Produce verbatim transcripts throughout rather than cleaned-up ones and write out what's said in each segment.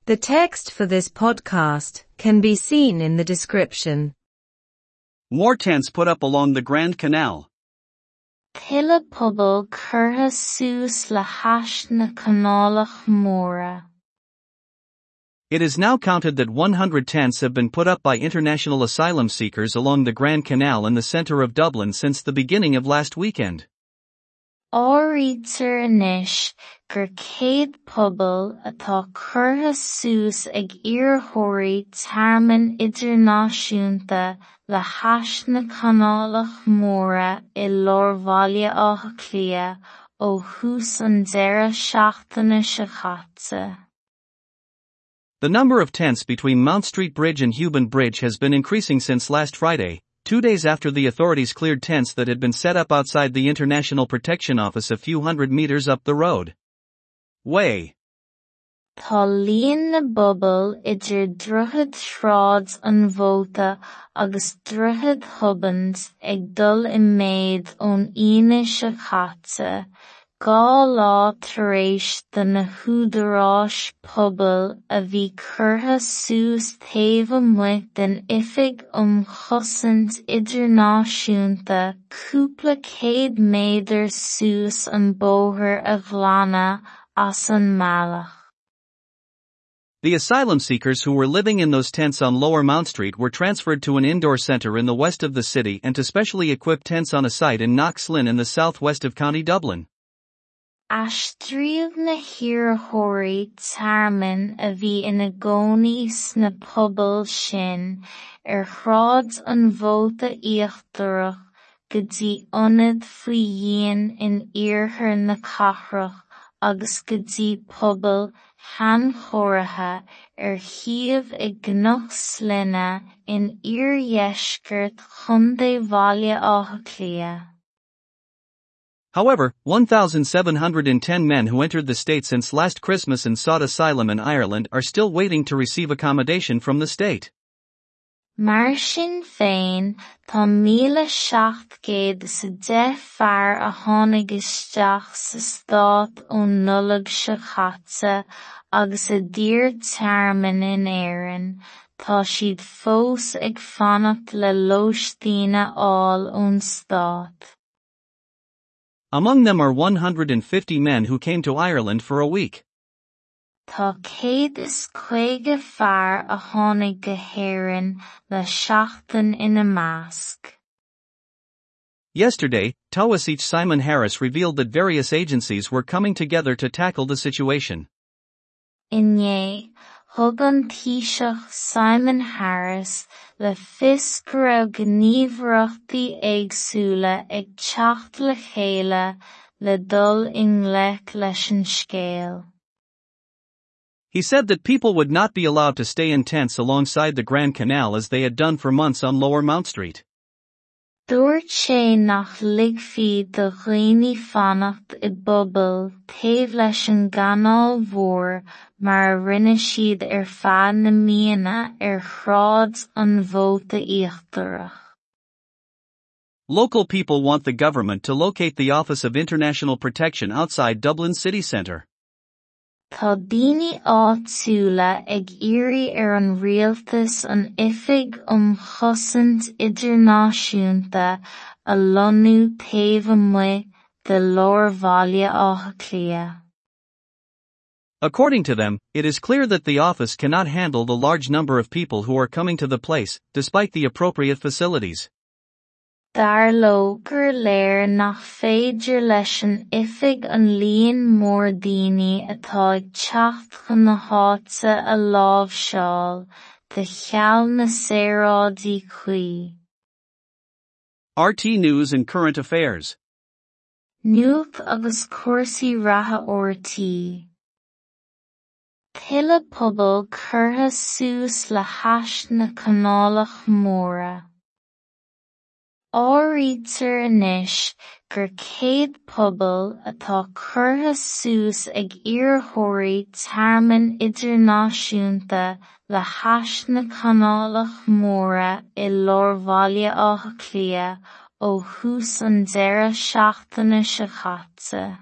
The text for this podcast can be seen in the description. More tents put up along the Grand Canal. Tuilleadh puball curtha suas le hais na Canálach Móire. It is now counted that one hundred tents have been put up by international asylum seekers along the Grand Canal in the centre of Dublin since the beginning of last weekend. Áirítear anois gur céad puball atá curtha suas ag iarrthóirí tearmainn idirnáisiúnta le hais na Canálach Móire i lár Bhaile Átha Cliath ó thús an deireadh seachtaine seo caite. The number of tents between Mount Street Bridge and Heughan Bridge has been increasing since last Friday, two days after the authorities cleared tents that had been set up outside the International Protection Office a few hundred meters up the road. Way. Tá líon na bpuball idir Droichead Shráid an Mhóta agus Droichead Hobands ag dul i méid ón Aoine seo caite, dhá lá tar éis do na húdaráis pubaill a bhí curtha suas taobh amuigh den Oifig um Chosaint Idirnáisiúnta cúpla céad méadar suas an bóthar a ghlanadh as an mbealach. The asylum seekers who were living in those tents on Lower Mount Street were transferred to an indoor center in the west of the city and to specially equipped tents on a site in Knockslin in the southwest of County Dublin. Aistríodh na hiarrthóirí tearmainn a bhí ina gcónaí sna pubaill sin ar Shráid an Mhóta Íochtarach go dtí ionad faoi dhíon in iarthar na cathrach agus go dtí pubaill shainchóirithe ar shuíomh i gCnoc Slinne in iardheisceart Chontae Bhaile Átha Cliath. However, one thousand seven hundred ten men who entered the state since last Christmas and sought asylum in Ireland are still waiting to receive accommodation from the state. Mar sin féin, tá míle seacht gcéad is a deich fear a tháinig isteach sa stát ón Nollaig seo caite agus a d'iarr tearmann in Éirinn, tá siad fós ag fanacht le lóistín a fháil ón stát. Among them are one hundred fifty men who came to Ireland for a week. Tá céad is caoga fear a tháinig go hÉirinn le seachtain ina measc. Yesterday, Taoiseach Simon Harris revealed that various agencies were coming together to tackle the situation. Inné, thug an Taoiseach Simon Harris le fios go raibh gníomhaireachtaí éagsúla ag teacht le chéile le dul i ngleic leis an scéal. He said that people would not be allowed to stay in tents alongside the Grand Canal as they had done for months on Lower Mount Street. Dúirt sé nach ligfí do dhaoine fanacht i bpubaill taobh leis an gCanáil Mhór mar a rinne siad ar feadh na míonna ar Shráid an Mhóta Íochtarach. Local people want the government to locate the Office of International Protection outside Dublin city centre. Tá daoine áitiúla ag iarraidh ar an rialtas an Oifig um Chosaint Idirnáisiúnta a lonnú taobh amuigh de lár Bhaile Átha Cliath. According to them, it is clear that the office cannot handle the large number of people who are coming to the place, despite the appropriate facilities. Dar leo gur léir nach féidir leis an oifig an líon mór daoine atá ag teacht chun na háite a láimhseáil, de cheal na saoráidí cuí. R T E News and Current Affairs. Nuacht agus cúrsaí reatha R T E. Tuilleadh puball curtha suas le hais na Canálach Móire. Áirítear anois gur céad puball atá curtha suas ag iarrthóirí tearmainn idirnáisiúnta le hais na Canálach Móire i lár Bhaile Átha Cliath ó thús an deireadh seachtaine seo caite.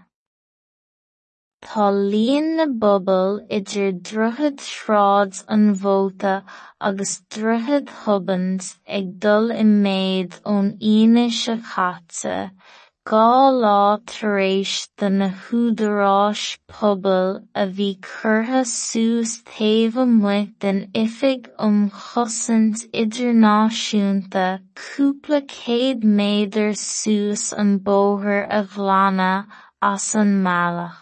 Tá líon na bpobal idir Droichead Shráid an Mhóta agus Droichead Hoban's ag dul i méad ón Aoine seo caite, dhá lá tar éis do na húdaráis pubaill a bhí curtha suas taobh amuigh den Oifig um Chosaint Idirnáisiúnta cúpla céad méadar suas an bóthar a ghlanadh as an mbealach.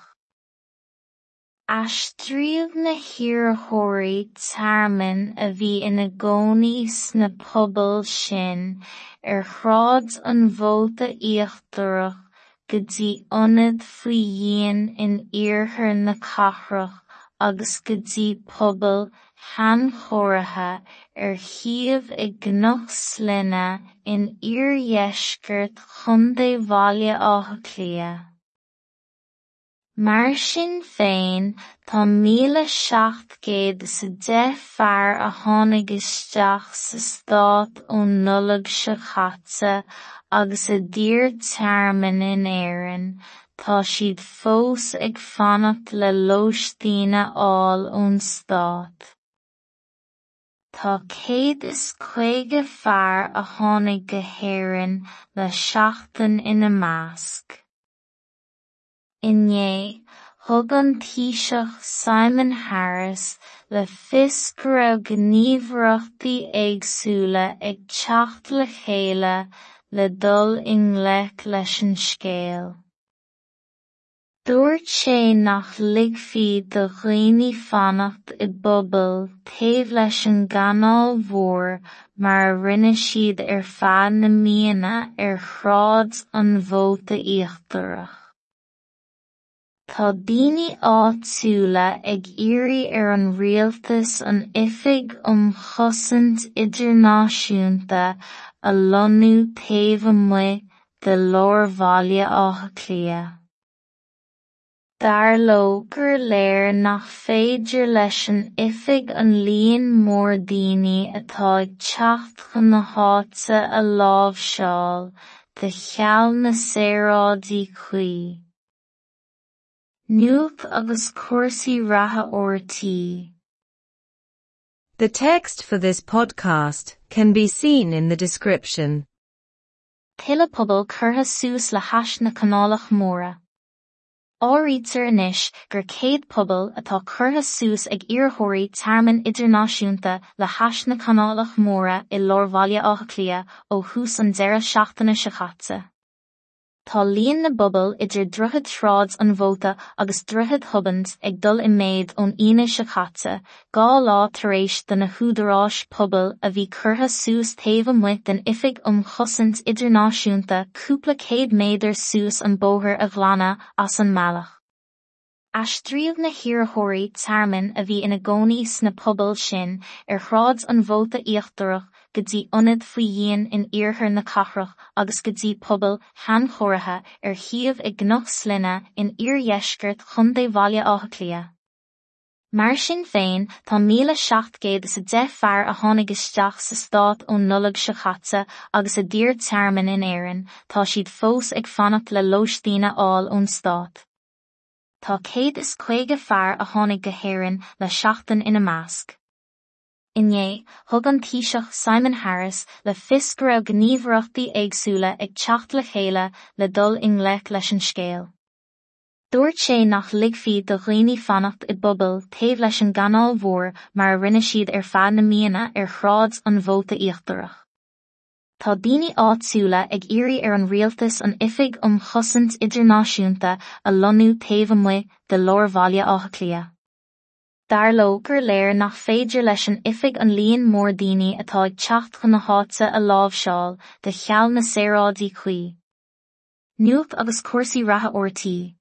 Aistríodh na hiarrthóirí tearmainn a bhí ina gcónaí sna pobail sin ar Shráid an Mhóta Íochtarach go dtí ionad faoi dhíon in iarthar na cathrach agus go dtí pobail shainchóirithe ar shuíomh i gCnoc Slinne in iardheisceart Chontae Bhaile Átha Cliath. Mar sin féin, tá míle seacht gcéad is a deich fear a tháinig isteach sa stát ón Nollaig seo caite agus a d'iarr tearmann in Éirinn, tá siad fós ag fanacht le lóistín a fháil ón stát. Tá céad is caoga fear a tháinig go hÉirinn le seachtain ina measc. Inné, thug an Taoiseach Simon Harris le fios go raibh gníomhaireachtaí éagsúla ag teacht le chéile le dul i ngleic leis an scéal. Dúirt sé nach ligfí do dhaoine fanacht i bpubaill taobh leis an gcanáil mhór mar a rinne siad ar feadh na míonna ar Shráid an Mhóta Íochtarach. Tá daoine áitiúla ag iarraidh ar an rialtas an Oifig um Chosaint Idirnáisiúnta a lonnú taobh amuigh de lár Bhaile Átha Cliath. Dar leo gur léir nach féidir leis an oifig an líon mór daoine atá ag teacht chun na háite a láimhseáil, de cheal na saoráidí cuí. Nuacht agus cúrsaí reatha RTÉ. The text for this podcast can be seen in the description. Tuilleadh puball curtha suas le hais na Canálach Móire. Áirítear anois gur céad puball atá curtha suas ag iarrthóirí tearmainn idirnáisiúnta le hais na Canálach Móire i lár Bhaile Átha Cliath ó thús an deireadh seachtaine seo caite. Tá líon na bpobal idir Droichead Shráid an Mhóta agus Droichead Hoban's ag dul i méad ón Aoine seo caite, dhá lá tar éis do na húdaráis pubaill a bhí curtha suas taobh amuigh den Oifig um Chosaint Idirnáisiúnta cúpla céad méadar suas an bóthar a ghlanadh as an mbealach. Aistríodh na hiarrthóirí tearmainn a bhí ina gcónaí sna pobail sin ar Shráid an Mhóta Íochtarach go dtí ionad faoi dhíon in iarthar na cathrach agus go dtí pobail shainchóirithe ar shuíomh i gCnoc Slinne in iardheisceart Chontae Bhaile Átha Cliath. Mar sin féin, tá míle seacht gcéad is a deich fear a tháinig isteach sa stát ón Nollaig seo caite agus a d'iarr tearmann in Éirinn, tá siad fós ag fanacht le lóistín a fháil ón stát. Tá céad is caoga fear a tháinig go hÉirinn le seachtain ina measc. Inné, thug an Taoiseach Simon Harris le fios go raibh gníomhaireachtaí éagsúla ag teacht le chéile le dul i ngleic leis an scéal. Dúirt sé nach ligfí do dhaoine fanacht i bpubaill taobh leis an gcanáil mhór mar a rinne siad ar feadh na míonna ar Shráid an Mhóta Íochtarach. Tá daoine áitiúla ag iarraidh ar an rialtas an Oifig um Chosaint Idirnáisiúnta a lonnú taobh amuigh de lár Bhaile Átha Cliath. Dar leo gur léir nach féidir leis an oifig an líon mór daoine atá ag teacht chun na háite a láimhseáil, de cheal na saoráidí cuí. Nuacht agus cúrsaí reatha RTÉ.